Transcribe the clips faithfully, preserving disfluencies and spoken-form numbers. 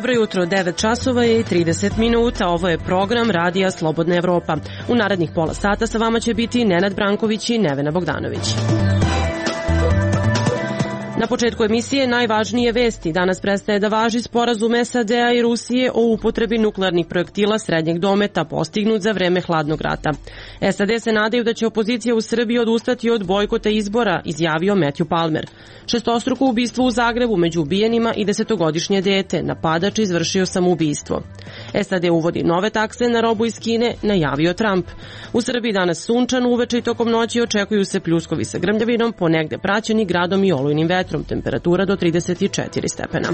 Dobro jutro, devet časova je i trideset minuta. Ovo je program Radija Slobodna Evropa. U narednih pola sata sa vama će biti Nenad Branković i Nevena Bogdanović. Na početku emisije najvažnije vesti. Danas prestaje da važi sporazum S A D-a i Rusije o upotrebi nuklearnih projektila srednjeg dometa postignut za vreme hladnog rata. S A D se nadaju da će opozicija u Srbiji odustati od bojkota izbora, izjavio Matthew Palmer. Šestostruko ubistvo u Zagrebu među ubijenima i desetogodišnje dete. Napadač izvršio samoubistvo. S A D uvodi nove takse na robu iz Kine, najavio Trump. U Srbiji danas sunčan, uveče i tokom noći očekuju se pljuskovi sa grmljavinom, ponegde praćeni gradom i olujnim vetrom. Temperatura do trideset četiri stepena.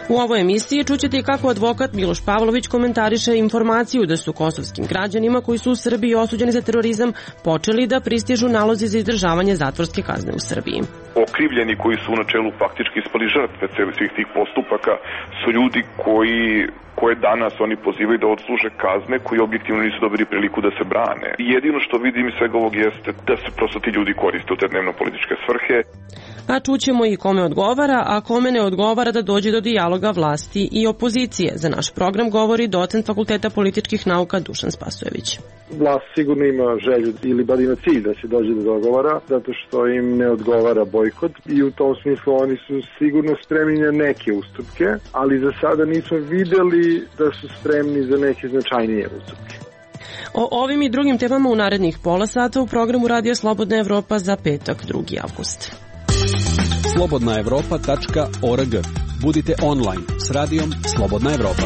U ovoj emisiji čućete i kako advokat Miloš Pavlović komentariše informaciju da su kosovskim građanima koji su u Srbiji osuđeni za terorizam počeli da pristižu nalozi za izdržavanje zatvorske kazne u Srbiji. Okrivljeni koji su u načelu faktički ispali žrtve svih tih postupaka su ljudi koji koje danas oni pozivaju da odsluže kazne, koji objektivno nisu dobili priliku da se brane. Jedino što vidim iz svega ovog jeste da se prosto ti ljudi koriste u te dnevno-političke svrhe. A čućemo i kome odgovara, a kome ne odgovara da dođe do dijaloga vlasti i opozicije. Za naš program govori docent Fakulteta političkih nauka Dušan Spasojević. Vlast sigurno ima želju ili bar ima cilj da se dođe do dogovora, zato što im ne odgovara bojkot i u tom smislu oni su sigurno spremni na neke ustupke, ali za sada nismo videli da su spremni za neke značajnije ustupke. O ovim i drugim temama u narednih pola sata u programu Radio Slobodna Evropa za petak, drugi avgust. slobodna evropa tačka org. Budite online s radijom Slobodna Evropa.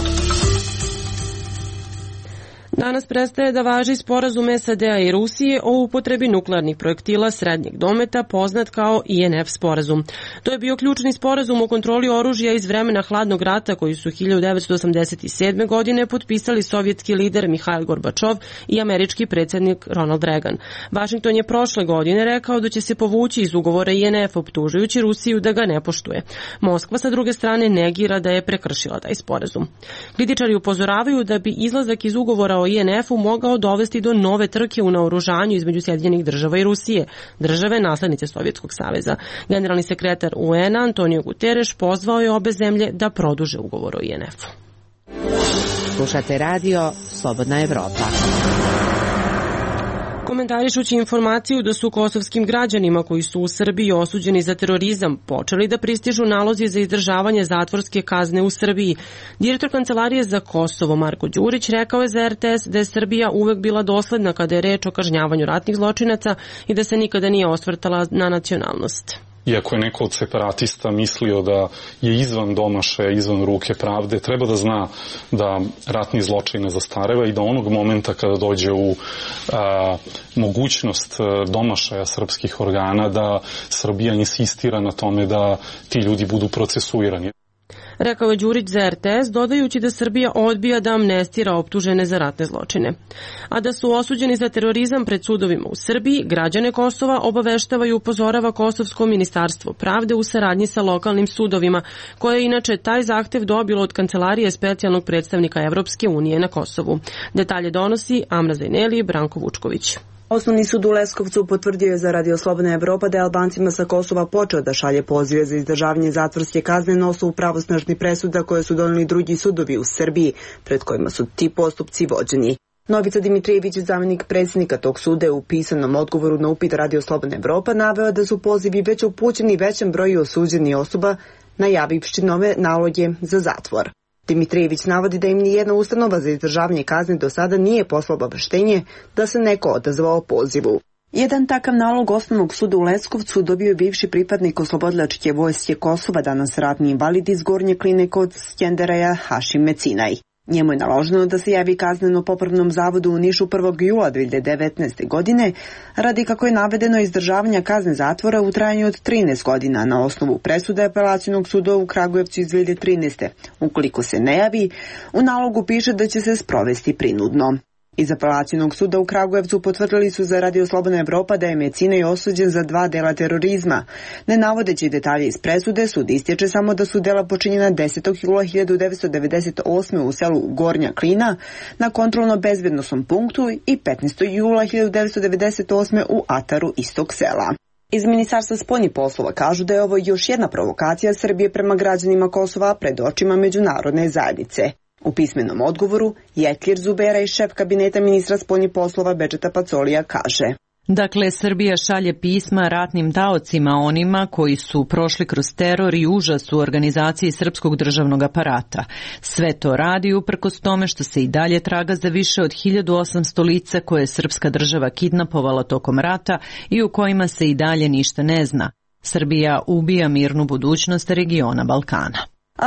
Danas prestaje da važi sporazum S A D-a i Rusije o upotrebi nuklearnih projektila srednjeg dometa, poznat kao I N F sporazum. To je bio ključni sporazum o kontroli oružja iz vremena hladnog rata koji su hiljadu devetsto osamdeset sedme. godine potpisali sovjetski lider Mihail Gorbačov i američki predsjednik Ronald Reagan. Washington je prošle godine rekao da će se povući iz ugovora I N F, optužujući Rusiju da ga ne poštuje. Moskva sa druge strane negira da je prekršila taj sporazum. Kritičari upozoravaju da bi izlazak iz ugovora o I N F-u mogao dovesti do nove trke u naoružanju između Sjedinjenih država i Rusije, države naslednice Sovjetskog saveza. Generalni sekretar U N-a Antonio Guterres pozvao je obe zemlje da produže ugovor o I N F-u. Slušate radio Slobodna Evropa. Komentarišući informaciju da su kosovskim građanima koji su u Srbiji osuđeni za terorizam počeli da pristižu nalozi za izdržavanje zatvorske kazne u Srbiji, direktor Kancelarije za Kosovo Marko Đurić rekao je za R T S da je Srbija uvek bila dosledna kada je reč o kažnjavanju ratnih zločinaca i da se nikada nije osvrtala na nacionalnost. Iako je neko od separatista mislio da je izvan domašaja, izvan ruke pravde, treba da zna da ratni zločin ne zastareva i da onog momenta kada dođe u a, mogućnost domašaja srpskih organa, da Srbija insistira na tome da ti ljudi budu procesuirani. Rekao je Đurić za R T S, dodajući da Srbija odbija da amnestira optužene za ratne zločine. A da su osuđeni za terorizam pred sudovima u Srbiji, građane Kosova obaveštava i upozorava Kosovsko ministarstvo pravde u saradnji sa lokalnim sudovima, koje je inače taj zahtev dobilo od Kancelarije specijalnog predstavnika Evropske unije na Kosovu. Detalje donosi Amra Zajneli i Branko Vučković. Osnovni sud u Leskovcu potvrdio je za Radio Slobodna Evropa da je Albancima sa Kosova počeo da šalje pozive za izdržavanje zatvorske kazne na osnovu pravosnažnih presuda koje su doneli drugi sudovi u Srbiji, pred kojima su ti postupci vođeni. Novica Dimitrijević, zamjenik predsjednika tog suda, je u pisanom odgovoru na upit Radio Slobodna Evropa naveo da su pozivi već upućeni većem broju osuđenih osoba, najavivši nove naloge za zatvor. Dimitrijević navodi da im nijedna ustanova za izdržavanje kazne do sada nije poslala obaveštenje da se neko odazvao pozivu. Jedan takav nalog Osnovnog suda u Leskovcu dobio je bivši pripadnik oslobodilačke vojske Kosova, danas ratni invalid iz Gornje Kline kod Skenderaja Hašim Mecinaj. Njemu je naloženo da se javi kazneno-popravnom zavodu u Nišu prvog jula dve hiljade devetnaeste. godine, radi, kako je navedeno, izdržavanja kazne zatvora u trajanju od trinaest godina na osnovu presude Apelacionog suda u Kragujevcu iz dve hiljade trinaeste. Ukoliko se ne javi, u nalogu piše da će se sprovesti prinudno. Iz Apelacionog suda u Kragujevcu potvrdili su za Radio Slobodna Evropa da je Mecinaj osuđen za dva dela terorizma. Ne navodeći detalje iz presude, sud istječe samo da su dela počinjena desetog jula hiljadu devetsto devedeset osme. u selu Gornja Klina na kontrolno-bezbednosnom punktu i petnaestog jula hiljadu devetsto devedeset osme. u ataru istog sela. Iz Ministarstva spoljnih poslova kažu da je ovo još jedna provokacija Srbije prema građanima Kosova pred očima međunarodne zajednice. U pismenom odgovoru Jetlir Zubera i šef kabineta ministra spoljnih poslova Bedžeta Pacolija kaže: Dakle, Srbija šalje pisma ratnim taocima, onima koji su prošli kroz teror i užas u organizaciji srpskog državnog aparata. Sve to radi uprkos tome što se i dalje traga za više od hiljadu osamsto lica koje je srpska država kidnapovala tokom rata i u kojima se i dalje ništa ne zna. Srbija ubija mirnu budućnost regiona Balkana.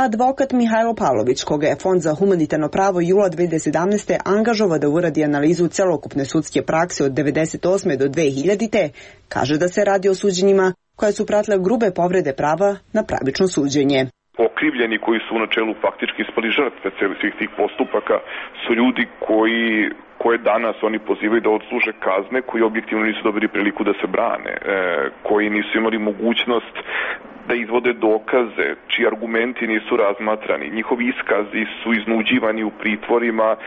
Advokat Mihajlo Pavlović, koga je Fond za humanitarno pravo jula dve hiljade sedamnaeste. angažovao da uradi analizu celokupne sudske prakse od devedeset osme do dve hiljadite. kaže da se radi o suđenjima koje su pratile grube povrede prava na pravično suđenje. Okrivljeni koji su u načelu faktički ispali žrtve svih tih postupaka su ljudi koji koje danas oni pozivaju da odsluže kazne, koji objektivno nisu dobili priliku da se brane, e, koji nisu imali mogućnost da izvode dokaze, čiji argumenti nisu razmatrani. Njihovi iskazi su iznuđivani u pritvorima, e,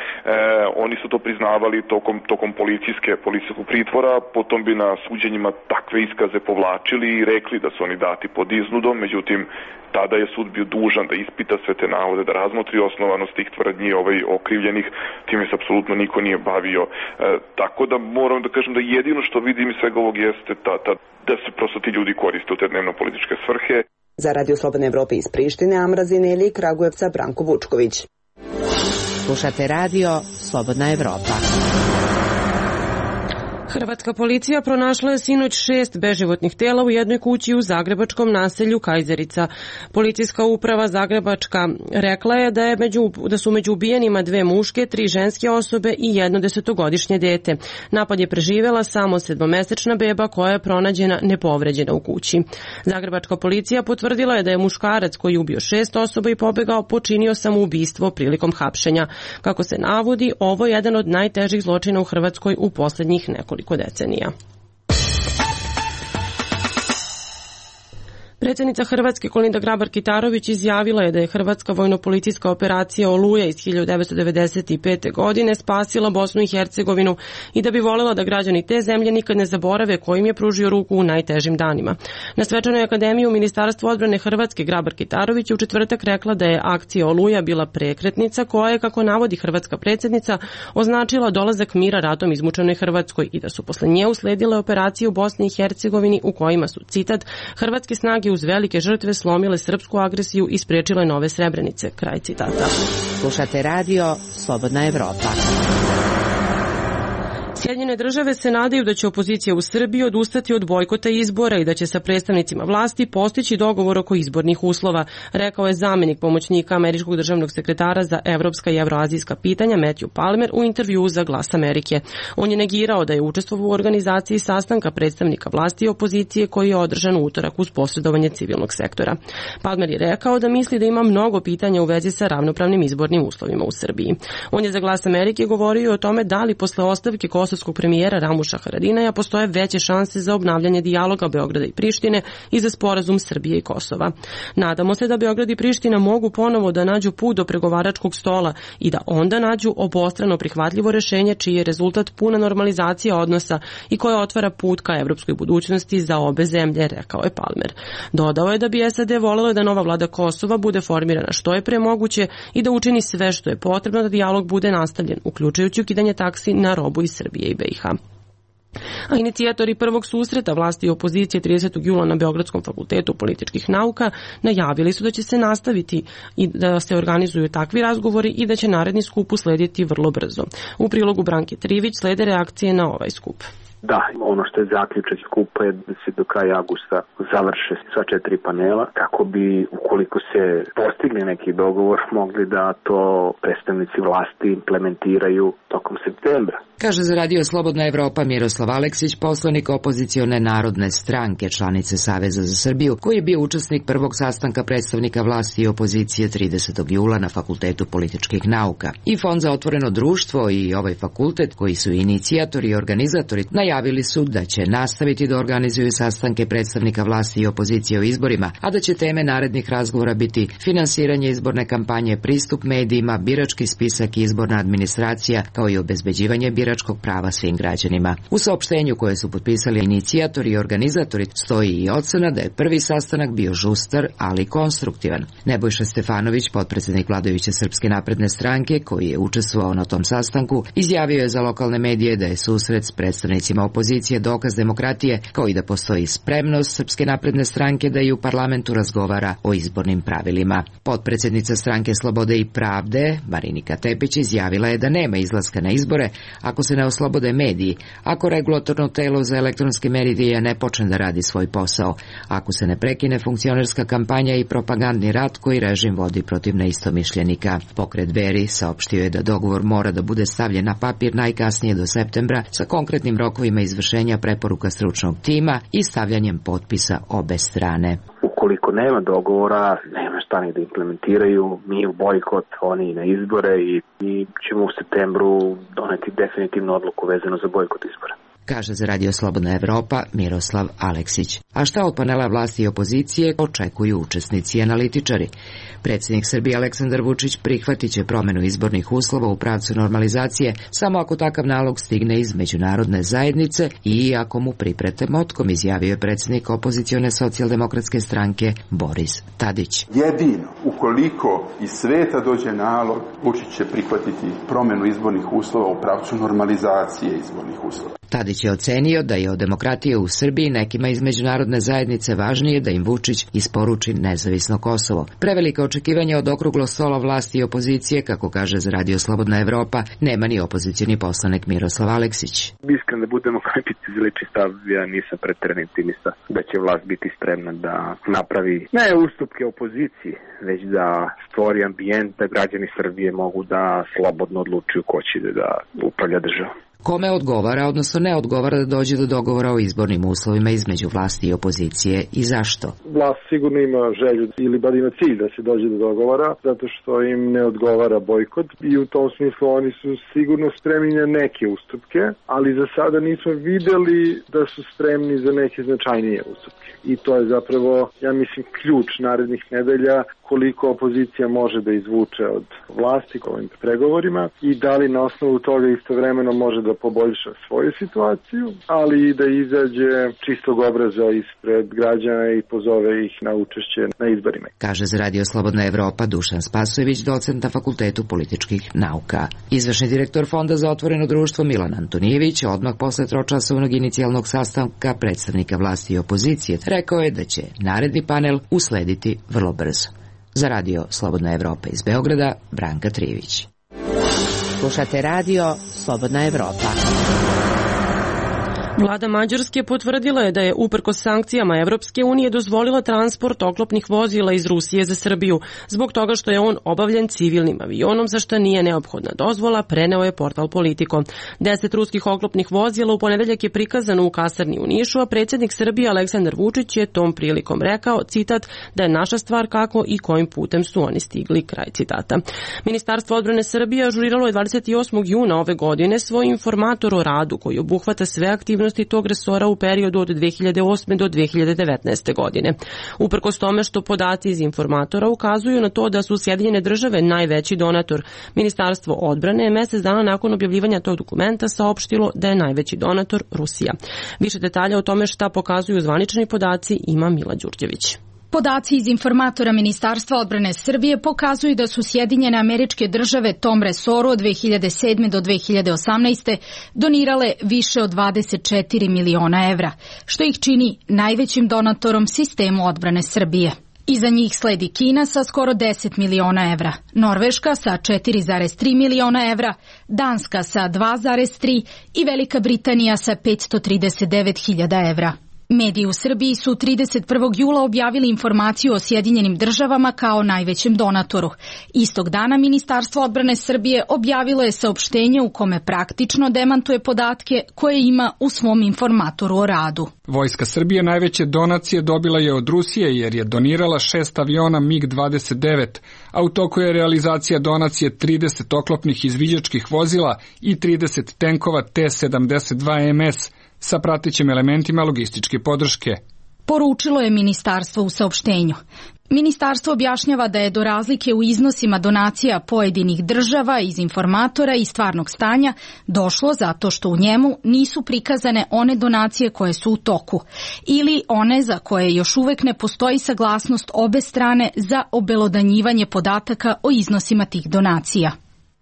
oni su to priznavali tokom, tokom policijske, policijskog pritvora, potom bi na suđenjima takve iskaze povlačili i rekli da su oni dati pod iznudom, međutim, tada je sud bio dužan da ispita sve te navode, da razmotri osnovanost tih tvrdnji ovaj, okrivljenih, time se apsolutno niko nije bavio. E, tako da moram da kažem da jedino što vidim iz svega ovog jeste ta, ta, da se prosto ti ljudi koriste u te dnevno-političke svrhe. Za Radio Slobodne Evrope iz Prištine, Amrazine ili Kragujevca, Branko Vučković. Slušate Radio Slobodna Evropa. Hrvatska policija pronašla je sinoć šest beživotnih tela u jednoj kući u zagrebačkom naselju Kajzerica. Policijska uprava Zagrebačka rekla je da, je među, da su među ubijenima dve muške, tri ženske osobe i jedno desetogodišnje dete. Napad je preživjela samo sedmomesečna beba koja je pronađena nepovređena u kući. Zagrebačka policija potvrdila je da je muškarac koji je ubio šest osoba i pobegao počinio samoubistvo prilikom hapšenja. Kako se navodi, ovo je jedan od najtežih zločina u Hrvatskoj u posljednjih nekoliko decenija. Predsjednica Hrvatske Kolinda Grabar-Kitarović izjavila je da je hrvatska vojno-policijska operacija Oluja iz hiljadu devetsto devedeset pete. godine spasila Bosnu i Hercegovinu i da bi voljela da građani te zemlje nikad ne zaborave kojim je pružio ruku u najtežim danima. Na Svečanoj akademiji u Ministarstvu odbrane Hrvatske Grabar-Kitarović je u četvrtak rekla da je akcija Oluja bila prekretnica koja je, kako navodi hrvatska predsjednica, označila dolazak mira ratom izmučenoj Hrvatskoj i da su posle nje usledile operacije u Bosni i Hercegovini u kojima su, citat, hrvatske snage uz velike žrtve slomile srpsku agresiju i spriječile nove Srebrenice. Kraj citata. Slušate Radio Slobodna Evropa. Sjedinjene države se nadaju da će opozicija u Srbiji odustati od bojkota izbora i da će sa predstavnicima vlasti postići dogovor oko izbornih uslova, rekao je zamjenik pomoćnika američkog državnog sekretara za evropska i evroazijska pitanja Matthew Palmer u intervjuu za Glas Amerike. On je negirao da je učestvovao u organizaciji sastanka predstavnika vlasti i opozicije koji je održan u utorak uz posredovanje civilnog sektora. Palmer je rekao da misli da ima mnogo pitanja u vezi sa ravnopravnim izbornim uslovima u Srbiji. On je za Glas Amerike govorio o tome da li posle ostavke kosovskog premijera Ramuša Haradinaja postoje veće šanse za obnavljanje dijaloga Beograda i Prištine i za sporazum Srbije i Kosova. Nadamo se da Beograd i Priština mogu ponovo da nađu put do pregovaračkog stola i da onda nađu obostrano prihvatljivo rešenje čiji je rezultat puna normalizacija odnosa i koja otvara put ka evropskoj budućnosti za obe zemlje, rekao je Palmer. Dodao je da bi S A D voljela da nova vlada Kosova bude formirana što je pre moguće i da učini sve što je potrebno da dijalog bude nastavljen, uključujući ukidanje taksi na robu iz Srbije i B i H. A inicijatori prvog susreta vlasti i opozicije tridesetog jula na Beogradskom fakultetu političkih nauka najavili su da će se nastaviti i da se organizuju takvi razgovori i da će naredni skup uslediti vrlo brzo. U prilogu Branke Trivić slede reakcije na ovaj skup. Da, ono što je zaključak skupa je da se do kraja avgusta završe sva četiri panela, kako bi, ukoliko se postigli neki dogovor, mogli da to predstavnici vlasti implementiraju tokom septembra. Kaže za Radio Slobodna Evropa Miroslav Aleksić, poslanik opozicione Narodne stranke, članice Saveza za Srbiju, koji je bio učesnik prvog sastanka predstavnika vlasti i opozicije tridesetog jula na Fakultetu političkih nauka. I Fond za otvoreno društvo i ovaj fakultet, koji su inicijatori i organizatori, najavili izjavili su da će nastaviti da organizuju sastanke predstavnika vlasti i opozicije o izborima, a da će teme narednih razgovora biti finansiranje izborne kampanje, pristup medijima, birački spisak i izborna administracija, kao i obezbeđivanje biračkog prava svim građanima. U saopštenju koje su potpisali inicijatori i organizatori stoji i ocena da je prvi sastanak bio žustar, ali konstruktivan. Nebojša Stefanović, potpredsednik vladajuće Srpske napredne stranke, koji je učestvovao na tom sastanku, izjavio je za lokalne medije da je susret s predstavnicima opozicije dokaz demokratije, kao i da postoji spremnost Srpske napredne stranke da i u parlamentu razgovara o izbornim pravilima. Potpredsednica stranke Slobode i pravde, Marinika Tepić, izjavila je da nema izlaska na izbore ako se ne oslobode mediji, ako regulatorno telo za elektronske medije ne počne da radi svoj posao, ako se ne prekine funkcionerska kampanja i propagandni rat koji režim vodi protiv neistomišljenika. Pokret Dveri saopštio je da dogovor mora da bude stavljen na papir najkasnije do septembra sa konkretnim rokovima izvršenja preporuka stručnog tima i stavljanjem potpisa obe strane. Ukoliko nema dogovora, nema šta ni da implementiraju, mi u bojkot, oni na izbore i, i ćemo u septembru doneti definitivnu odluku vezano za bojkot izbora. Kaže za Radio Slobodna Evropa Miroslav Aleksić. A šta od panela vlasti i opozicije očekuju učesnici i analitičari? Predsjednik Srbije Aleksandar Vučić prihvatit će promenu izbornih uslova u pravcu normalizacije samo ako takav nalog stigne iz međunarodne zajednice i ako mu priprete motkom, izjavio je predsjednik opozicione socijaldemokratske stranke Boris Tadić. Jedino ukoliko iz sveta dođe nalog, Vučić će prihvatiti promenu izbornih uslova u pravcu normalizacije izbornih uslova. Tadić je ocenio da je od demokratije u Srbiji nekima iz međunarodne zajednice važnije da im Vučić isporuči nezavisno Kosovo. Prevelika očekivanja od okruglog stola vlasti i opozicije, kako kaže za Radio Slobodna Evropa, nema ni opozicioni poslanik Miroslav Aleksić. Iskreno da budemo kritici za lični stav, ja nisam preterani optimista da će vlast biti spremna da napravi ne ustupke opoziciji, već da stvori ambijent da građani Srbije mogu da slobodno odlučuju ko će da upravlja državom. Kome odgovara, odnosno ne odgovara da dođe do dogovora o izbornim uslovima između vlasti i opozicije i zašto? Vlast sigurno ima želju ili bar ima cilj da se dođe do dogovora, zato što im ne odgovara bojkot i u tom smislu oni su sigurno spremni na neke ustupke, ali za sada nismo videli da su spremni za neke značajnije ustupke. I to je zapravo, ja mislim, ključ narednih nedelja koliko opozicija može da izvuče od vlasti ovim pregovorima i da li na osnovu toga istovremeno može da poboljša svoju situaciju, ali i da izađe čistog obraza ispred građana i pozove ih na učešće na izborima. Kaže za Radio Slobodna Evropa Dušan Spasojević, docent na Fakultetu političkih nauka. Izvršni direktor Fonda za otvoreno društvo Milan Antonijević odmah posle tročasovnog inicijalnog sastanka predstavnika vlasti i opozicije rekao je da će naredni panel uslediti vrlo brzo. Za Radio Slobodna Evropa iz Beograda, Branka Trijević. Slušate Radio Slobodna Evropa. Vlada Mađarske potvrdila je da je uprkos sankcijama Evropske unije dozvolila transport oklopnih vozila iz Rusije za Srbiju, zbog toga što je on obavljen civilnim avionom, za što nije neophodna dozvola, preneo je portal Politico. Deset ruskih oklopnih vozila u ponedeljak je prikazano u kasarni u Nišu, a predsjednik Srbije Aleksandar Vučić je tom prilikom rekao, citat, da je naša stvar kako i kojim putem su oni stigli, kraj citata. Ministarstvo odbrane Srbije ažuriralo je dvadeset osmog juna ove godine svoj informator o radu koji obuhvata sve aktivnosti tog resora u periodu od dve hiljade osme do dve hiljade devetnaeste. godine. Uprkos tome što podaci iz informatora ukazuju na to da su Sjedinjene države najveći donator, Ministarstvo odbrane je mjesec dana nakon objavljivanja tog dokumenta saopštilo da je najveći donator Rusija. Više detalja o tome šta pokazuju zvanični podaci ima Mila Đurđević. Podaci iz informatora Ministarstva odbrane Srbije pokazuju da su Sjedinjene Američke Države tom resoru od dve hiljade sedme do dve hiljade osamnaeste. donirale više od dvadeset četiri miliona evra, što ih čini najvećim donatorom sistemu odbrane Srbije. Iza njih sledi Kina sa skoro deset miliona evra, Norveška sa četiri zarez tri miliona evra, Danska sa dva zarez tri i Velika Britanija sa petsto trideset devet hiljada evra. Mediji u Srbiji su trideset prvog jula objavili informaciju o Sjedinjenim državama kao najvećem donatoru. Istog dana Ministarstvo odbrane Srbije objavilo je saopštenje u kome praktično demantuje podatke koje ima u svom informatoru o radu. Vojska Srbije najveće donacije dobila je od Rusije jer je donirala šest aviona mig dvadeset devet, a u toku je realizacija donacije trideset oklopnih izviđačkih vozila i trideset tenkova T sedamdeset dva M S sa pratećim elementima logističke podrške. Poručilo je ministarstvo u saopštenju. Ministarstvo objašnjava da je do razlike u iznosima donacija pojedinih država iz informatora i stvarnog stanja došlo zato što u njemu nisu prikazane one donacije koje su u toku ili one za koje još uvek ne postoji saglasnost obe strane za obelodanjivanje podataka o iznosima tih donacija.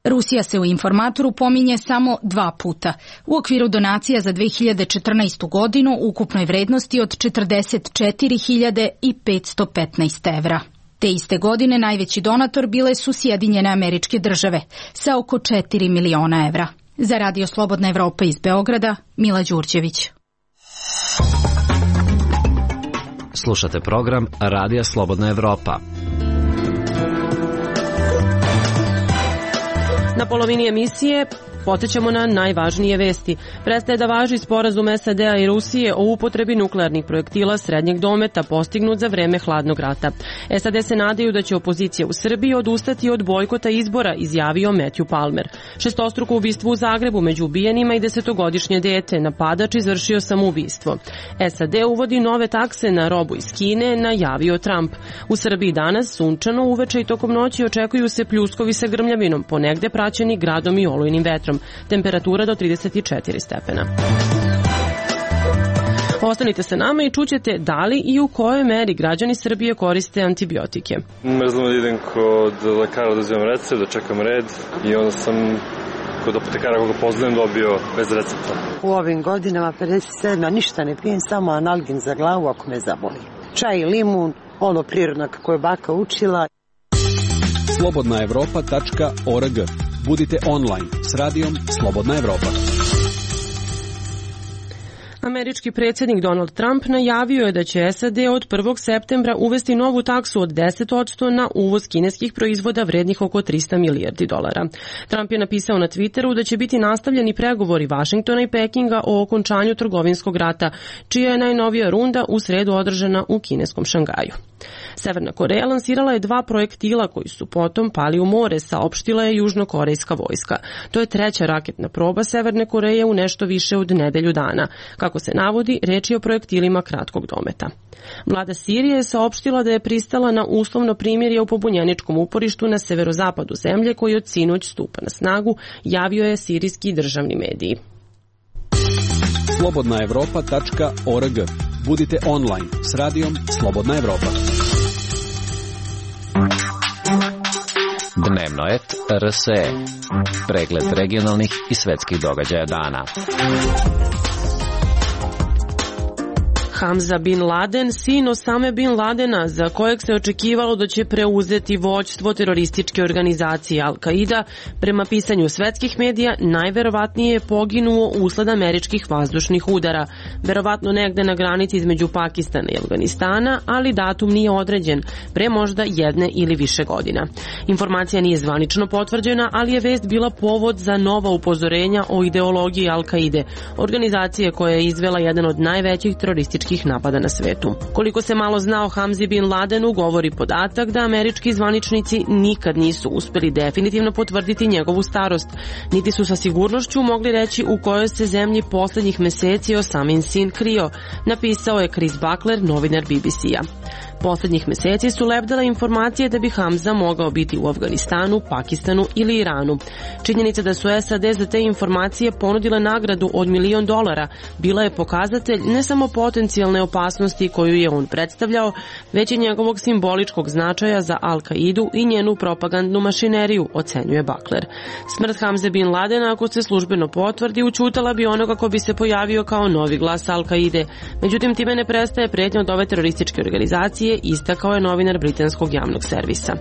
Rusija se u informatoru pominje samo dva puta, u okviru donacija za dve hiljade četrnaestu godinu u ukupnoj vrednosti od četrdeset četiri hiljade petsto petnaest evra. Te iste godine najveći donator bile su Sjedinjene Američke Države sa oko četiri miliona evra. Za Radio Slobodna Evropa iz Beograda, Mila Đurđević. Slušate program Radija Slobodna Evropa. Na polovini emisije podsjećamo na najvažnije vesti. Prestaje da važi sporazum S A D-a i Rusije o upotrebi nuklearnih projektila srednjeg dometa postignut za vreme hladnog rata. S A D se nadaju da će opozicija u Srbiji odustati od bojkota izbora, izjavio Matthew Palmer. Šestostruko ubistvo u Zagrebu među ubijenima i desetogodišnje dete, napadač izvršio samoubistvo. S A D uvodi nove takse na robu iz Kine, najavio Trump. U Srbiji danas sunčano, uveče i tokom noći očekuju se pljuskovi sa grmljavinom, ponegde praćeni gradom i olujnim vetrom. Temperatura do trideset četiri stepena. Ostanite sa nama i čućete da li i u kojoj meri građani Srbije koriste antibiotike. Mrzim da idem kod lekara da uzimam recept, da čekam red i onda sam kod apotekara koga poznajem dobio bez recepta. U ovim godinama pedeset sedam ništa ne pijem, samo analgin za glavu ako me zaboli. Čaj i limun, ono prirodno kako je baka učila. slobodna evropa tačka org. Budite online s radijom Slobodna Evropa. Američki predsjednik Donald Trump najavio je da će S A D od prvog septembra uvesti novu taksu od deset posto na uvoz kineskih proizvoda vrednih oko trista milijardi dolara. Trump je napisao na Twitteru da će biti nastavljeni pregovori Vašingtona i Pekinga o okončanju trgovinskog rata, čija je najnovija runda u sredu održana u kineskom Šangaju. Severna Koreja lansirala je dva projektila koji su potom pali u more, saopštila je južnokorejska vojska. To je treća raketna proba Severne Koreje u nešto više od nedelju dana. Kako se navodi, reč je o projektilima kratkog dometa. Vlada Sirije je saopštila da je pristala na uslovno primirje u pobunjeničkom uporištu na severozapadu zemlje koji od sinoć stupa na snagu, javio je sirijski državni mediji. slobodna evropa tačka org. Budite online s radijom Slobodna Evropa. Dnevno et R S E. Pregled regionalnih i svetskih događaja dana. Hamza bin Laden, sin Osame bin Ladena, za kojeg se očekivalo da će preuzeti vođstvo terorističke organizacije Al-Qaida, prema pisanju svetskih medija, najverovatnije je poginuo usled američkih vazdušnih udara, verovatno negde na granici između Pakistana i Afganistana, ali datum nije određen, pre možda jedne ili više godina. Informacija nije zvanično potvrđena, ali je vest bila povod za nova upozorenja o ideologiji Al-Qaide, organizacije koja je izvela jedan od najvećih terorističkih napada na svetu. Koliko se malo zna o Hamzi bin Ladenu, govori podatak da američki zvaničnici nikad nisu uspeli definitivno potvrditi njegovu starost, niti su sa sigurnošću mogli reći u kojoj se zemlji poslednjih meseci Osamin sin krio, napisao je Chris Buckler, novinar B B C-a. Poslednjih meseci su lebdale informacije da bi Hamza mogao biti u Afganistanu, Pakistanu ili Iranu. Činjenica da su S A D za te informacije ponudile nagradu od milion dolara bila je pokazatelj ne samo potencijalne opasnosti koju je on predstavljao, već i njegovog simboličkog značaja za Al-Qaidu i njenu propagandnu mašineriju, ocenjuje Buckler. Smrt Hamze bin Ladena, ako se službeno potvrdi, učutala bi onoga ko bi se pojavio kao novi glas Al-Qaide. Međutim, time ne prestaje pretnja od ove terorističke organizacije, istakao je novinar britanskog javnog servisa.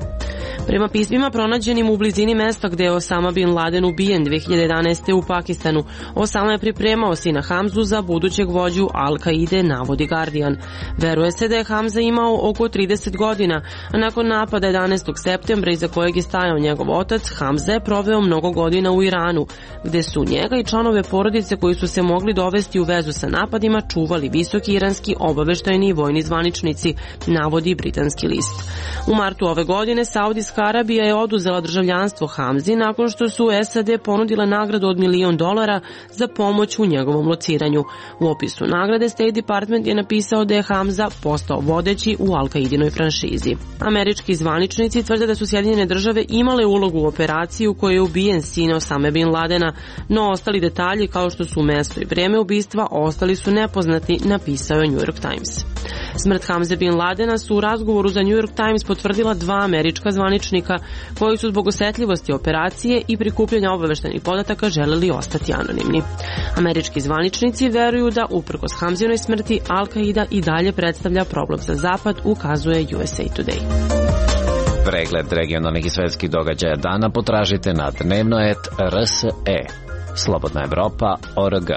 Prema pismima pronađenim u blizini mesta gde je Osama bin Laden ubijen dve hiljade jedanaeste. u Pakistanu, Osama je pripremao sina Hamzu za budućeg vođu Al-Qaide, navodi Guardian. Veruje se da je Hamza imao oko trideset godina, a nakon napada jedanaestog septembra iza kojeg je stajao njegov otac, Hamza je proveo mnogo godina u Iranu, gde su njega i članove porodice koji su se mogli dovesti u vezu sa napadima čuvali visoki iranski obaveštajni i vojni zvaničnici, navodi britanski list. U martu ove godine Saudijska Arabija je oduzela državljanstvo Hamzi nakon što su S A D ponudile nagradu od milion dolara za pomoć u njegovom lociranju. U opisu nagrade State Department je napisao da je Hamza postao vodeći u Al-Kaidinoj franšizi. Američki zvaničnici tvrde da su Sjedinjene države imale ulogu u operaciji u kojoj je ubijen sin Osame bin Ladena, no ostali detalji kao što su mesto i vreme ubistva ostali su nepoznati, napisao je New York Times. Smrt Hamze bin Ladena su u razgovoru za New York Times potvrdila dva američka zvaničnika koji su zbog osetljivosti operacije i prikupljanja obaveštenih podataka želeli ostati anonimni. Američki zvaničnici veruju da uprkos Hamzinoj smrti Al-Kaida i dalje predstavlja problem za Zapad, ukazuje U S A Today. Pregled regionalnih i svetskih događaja dana potražite na dnevnoet R S E. Slobodna Evropa O R G.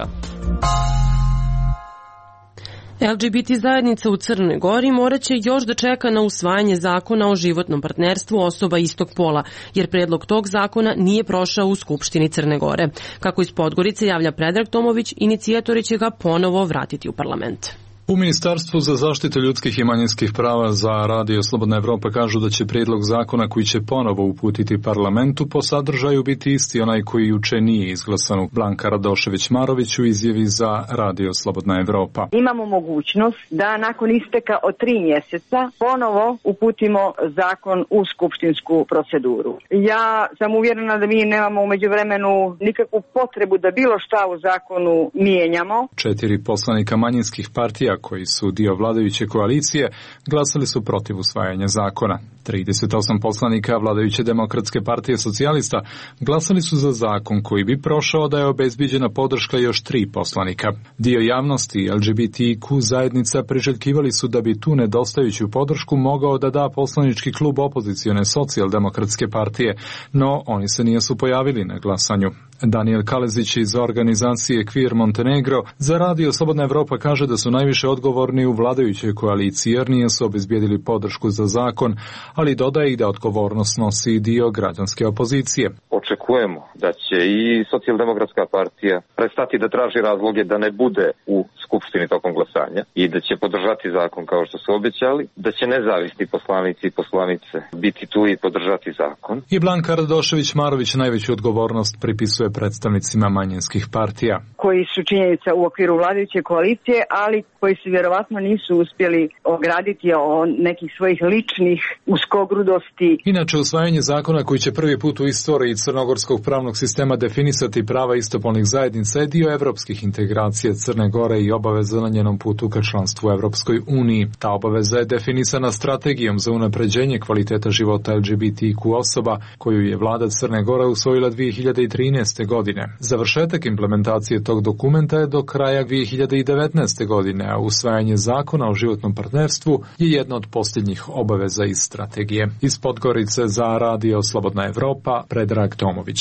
L G B T zajednica u Crnoj Gori morat će još da čeka na usvajanje zakona o životnom partnerstvu osoba istog pola, jer predlog tog zakona nije prošao u Skupštini Crne Gore. Kako iz Podgorice javlja Predrag Tomović, inicijatori će ga ponovo vratiti u parlament. U Ministarstvu za zaštitu ljudskih i manjinskih prava za Radio Slobodna Evropa kažu da će prijedlog zakona koji će ponovo uputiti parlamentu po sadržaju biti isti onaj koji juče nije izglasan. Blanka Radošević-Marović u izjavi za Radio Slobodna Evropa. Imamo mogućnost da nakon isteka od tri mjeseca ponovo uputimo zakon u skupštinsku proceduru. Ja sam uvjerena da mi nemamo u međuvremenu nikakvu potrebu da bilo šta u zakonu mijenjamo. Četiri poslanika manjinskih partija koji su dio vladajuće koalicije glasali su protiv usvajanja zakona. trideset osam poslanika vladajuće Demokratske partije socijalista glasali su za zakon koji bi prošao da je obezbiđena podrška još tri poslanika. Dio javnosti i L G B T Q zajednica priželjkivali su da bi tu nedostajuću podršku mogao da da poslanički klub opozicione socijaldemokratske partije, no oni se nisu pojavili na glasanju. Daniel Kalezić iz organizacije Queer Montenegro za Radio Slobodna Evropa kaže da su najviše odgovorni u vladajućoj koaliciji jer nisu obezbijedili podršku za zakon, ali dodaje i da odgovornost nosi dio građanske opozicije. Očekujemo da će i socijaldemokratska partija prestati da traži razloge da ne bude u Skupštini tokom glasanja i da će podržati zakon kao što su obećali, da će nezavisni poslanici i poslanice biti tu i podržati zakon. I Blanka Radošević-Marović najveću odgovornost pripisuje predstavnicima manjinskih partija. Koji su činjenica u okviru vladajuće koalicije, ali koji se vjerovatno nisu uspjeli ograditi o nekih svojih ličnih uskogrudosti. Inače, usvajanje zakona koji će prvi put u istoriji crnogorskog pravnog sistema definisati prava istopolnih zajednica je dio evropskih integracija Crne Gore i obaveza na njenom putu ka članstvu u Evropskoj uniji. Ta obaveza je definisana strategijom za unapređenje kvaliteta života L G B T Q osoba koju je vlada Crne Gore usvojila dvije hiljade trinaeste. godine. Završetak implementacije tog dokumenta je do kraja dvije hiljade devetnaeste. godine, a usvajanje zakona o životnom partnerstvu je jedna od posljednjih obaveza iz strategije. Iz Podgorice za Radio Slobodna Evropa, Predrag Tomović.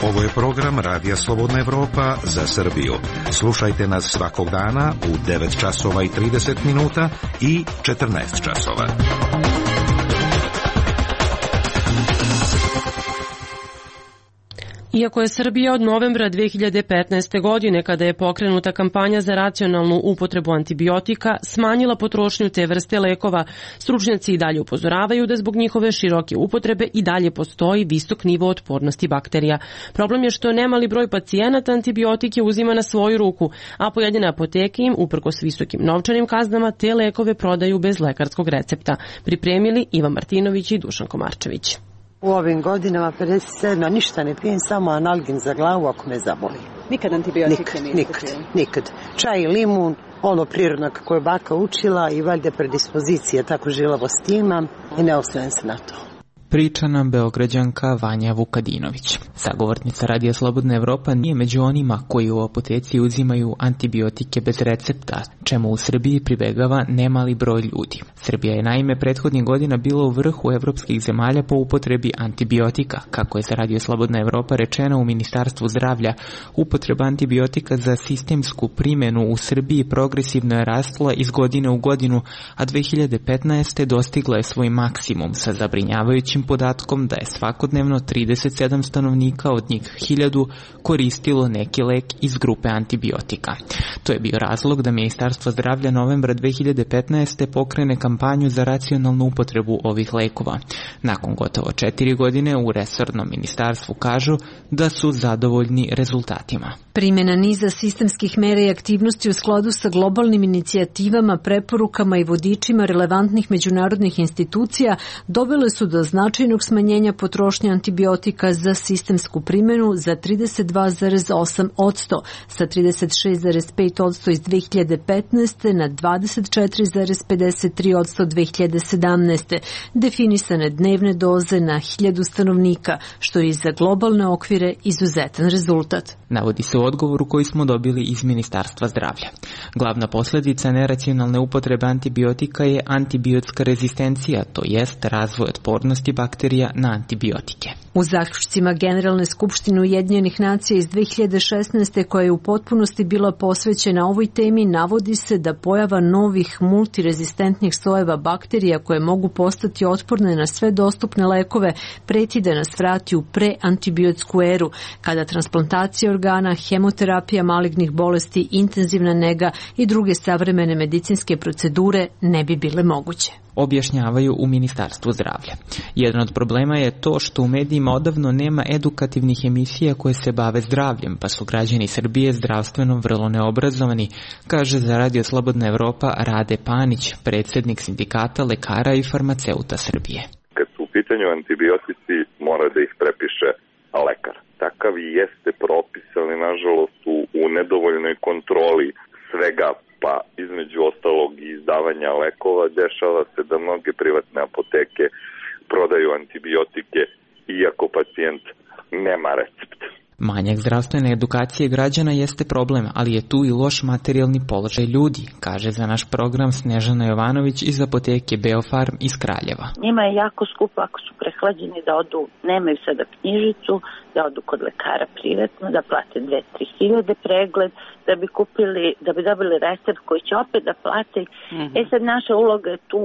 Ovo je program Radija Slobodna Evropa za Srbiju. Slušajte nas svakog dana u devet časova i trideset minuta i četrnaest časova. Iako je Srbija od novembra dvije hiljade petnaeste. godine, kada je pokrenuta kampanja za racionalnu upotrebu antibiotika, smanjila potrošnju te vrste lekova, stručnjaci i dalje upozoravaju da zbog njihove široke upotrebe i dalje postoji visok nivo otpornosti bakterija. Problem je što nemali broj pacijenata antibiotike uzima na svoju ruku, a pojedine apoteke im, uprkos visokim novčanim kaznama, te lekove prodaju bez lekarskog recepta. Pripremili Ivan Martinović i Dušan Komarčević. U ovim godinama pedeset sedam ništa ne pijem, samo analgin za glavu ako me zaboli. Nikad antibiotike nikad, niste nikad, pili? nikad. Čaj i limun, ono prirodno kako je baka učila i valjda predispozicije, tako žilavost imam i ne osvrnem se na to. Priča nam Beograđanka Vanja Vukadinović. Sagovornica Radija Slobodna Evropa nije među onima koji u apoteci uzimaju antibiotike bez recepta, čemu u Srbiji pribegava nemali broj ljudi. Srbija je naime prethodnih godina bila u vrhu evropskih zemalja po upotrebi antibiotika. Kako je za Radio Slobodna Evropa rečeno u Ministarstvu zdravlja, upotreba antibiotika za sistemsku primjenu u Srbiji progresivno je rastla iz godine u godinu, a dve hiljade petnaeste. dostigla je svoj maksimum sa zabrinjavajućim podatkom da je svakodnevno trideset sedam stanovnika, od njih hiljadu, koristilo neki lek iz grupe antibiotika. To je bio razlog da Ministarstvo zdravlja novembra dve hiljade petnaeste. pokrene kampanju za racionalnu upotrebu ovih lekova. Nakon gotovo četiri godine u resornom ministarstvu kažu da su zadovoljni rezultatima. Primjena niza sistemskih mera i aktivnosti u skladu sa globalnim inicijativama, preporukama i vodičima relevantnih međunarodnih institucija dovele su do značajnog smanjenja potrošnje antibiotika za sistemsku primjenu za trideset dva zarez osam posto, sa trideset šest zarez pet posto iz dve hiljade petnaeste. na dvadeset četiri zarez pedeset tri posto dve hiljade sedamnaeste. Definisane dnevne doze na hiljadu stanovnika, što je za globalne okvire izuzetan rezultat. Navodi se u odgovoru koji smo dobili iz Ministarstva zdravlja. Glavna posljedica neracionalne upotrebe antibiotika je antibiotska rezistencija, to jest razvoj otpornosti bakterija na antibiotike. U zaključcima Generalne skupštine Ujedinjenih nacija iz dve hiljade šesnaeste. koja je u potpunosti bila posvećena ovoj temi, navodi se da pojava novih multirezistentnih sojeva bakterija koje mogu postati otporne na sve dostupne lekove preti da nas vrati u preantibiotsku eru, kada transplantacija organa, hemoterapija malignih bolesti, intenzivna nega i druge savremene medicinske procedure ne bi bile moguće. Objašnjavaju u Ministarstvu zdravlja. Jedan od problema je to što u medijima odavno nema edukativnih emisija koje se bave zdravljem, pa su građani Srbije zdravstveno vrlo neobrazovani, kaže za Radio Slobodna Evropa Rade Panić, predsjednik sindikata lekara i farmaceuta Srbije. Kad su u pitanju antibiotici, mora da ih prepiše lekar. Takav i jeste propis, ali nažalost u, u nedovoljnoj kontroli svega, pa između ostalog i izdavanja lekova, dešava se da mnoge privatne apoteke prodaju antibiotike iako pacijent nema recept. Manjak zdravstvene edukacije građana jeste problem, ali je tu i loš materijalni položaj ljudi, kaže za naš program Snežana Jovanović iz apoteke Beofarm iz Kraljeva. Njima je jako skupo ako su prehlađeni da odu, nemaju sada knjižicu, da odu kod lekara privatno, da plate dve do tri hiljade pregled, da bi kupili, da bi dobili recept koji će opet da plate. Mm-hmm. E sad naša uloga je tu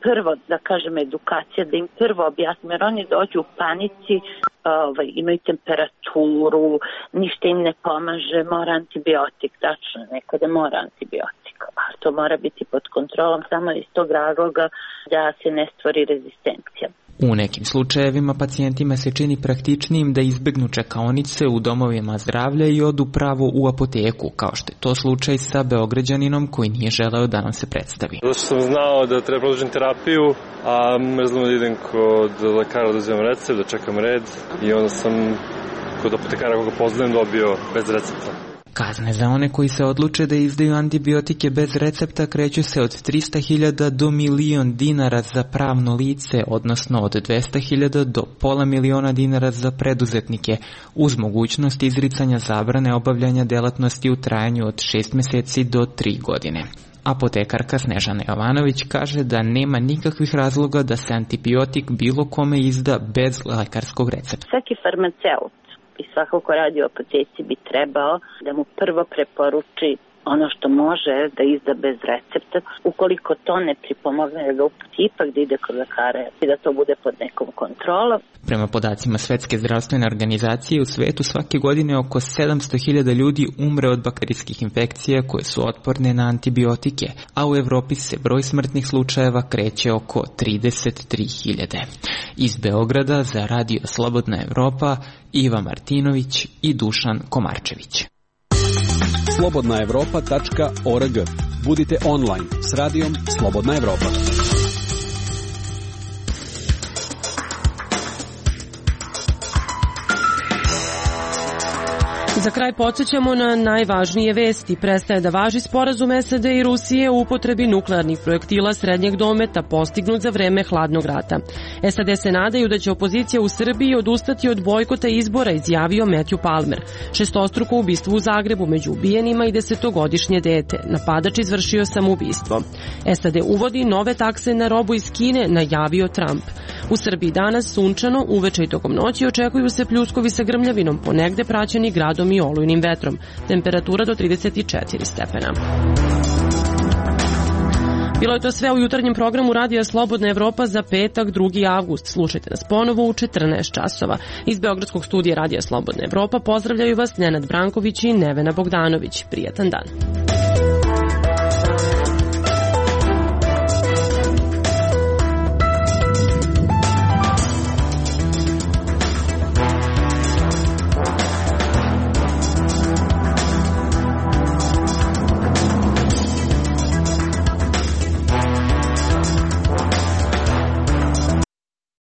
prvo, da kažem, edukacija, da im prvo objasnimo, jer oni dođu u panici, ovaj, imaju temperaturu, ništa im ne pomaže, mora antibiotik, tačno, nekada mora antibiotik, ali to mora biti pod kontrolom samo iz tog razloga da se ne stvori rezistencija. U nekim slučajevima pacijentima se čini praktičnijim da izbegnu čekaonice u domovima zdravlja i odu pravo u apoteku, kao što je to slučaj sa Beograđaninom koji nije želeo da nam se predstavi. Zato što sam znao da treba produžiti terapiju, a mrzlo da idem kod lekara da uzimam recept, da čekam red i onda sam kod apotekara koga poznajem dobio bez recepta. Kazne za one koji se odluče da izdaju antibiotike bez recepta kreću se od trista hiljada do milion dinara za pravno lice, odnosno od dvesta hiljada do pola miliona dinara za preduzetnike, uz mogućnost izricanja zabrane obavljanja delatnosti u trajanju od šest meseci do tri godine. Apotekarka Snežana Jovanović kaže da nema nikakvih razloga da se antibiotik bilo kome izda bez lekarskog recepta. Svaki farmaceut i svako ko radi u apoteci bi trebao da mu prvo preporuči ono što može da izda bez recepta. Ukoliko to ne pripomogne da ga uputi ipak da ide kod lekara i da to bude pod nekom kontrolom. Prema podacima Svetske zdravstvene organizacije, u svetu svake godine oko sedamsto hiljada ljudi umre od bakterijskih infekcija koje su otporne na antibiotike, a u Evropi se broj smrtnih slučajeva kreće oko trideset tri hiljade. Iz Beograda za Radio Slobodna Evropa Iva Martinović i Dušan Komarčević. slobodna evropa tačka org. Budite online s radijom Slobodna Evropa. Za kraj podsjećamo na najvažnije vesti. Prestaje da važi sporazum S A D i Rusije u upotrebi nuklearnih projektila srednjeg dometa postignut za vreme hladnog rata. S A D se nadaju da će opozicija u Srbiji odustati od bojkota izbora, izjavio Matthew Palmer. Šestostruko ubistvo u Zagrebu među ubijenima i desetogodišnje dete. Napadač izvršio samoubistvo. S A D uvodi nove takse na robu iz Kine, najavio Trump. U Srbiji danas sunčano, uveče i tokom noći očekuju se pljuskovi sa grmljavinom, ponegde praćeni gradom i olujnim vetrom. Temperatura do trideset četiri stepena. Bilo je to sve u jutarnjem programu Radija Slobodna Evropa za petak, drugi avgust. Slušajte nas ponovo u četrnaest časova. Iz Beogradskog studija Radija Slobodna Evropa pozdravljaju vas Nenad Branković i Nevena Bogdanović. Prijatan dan.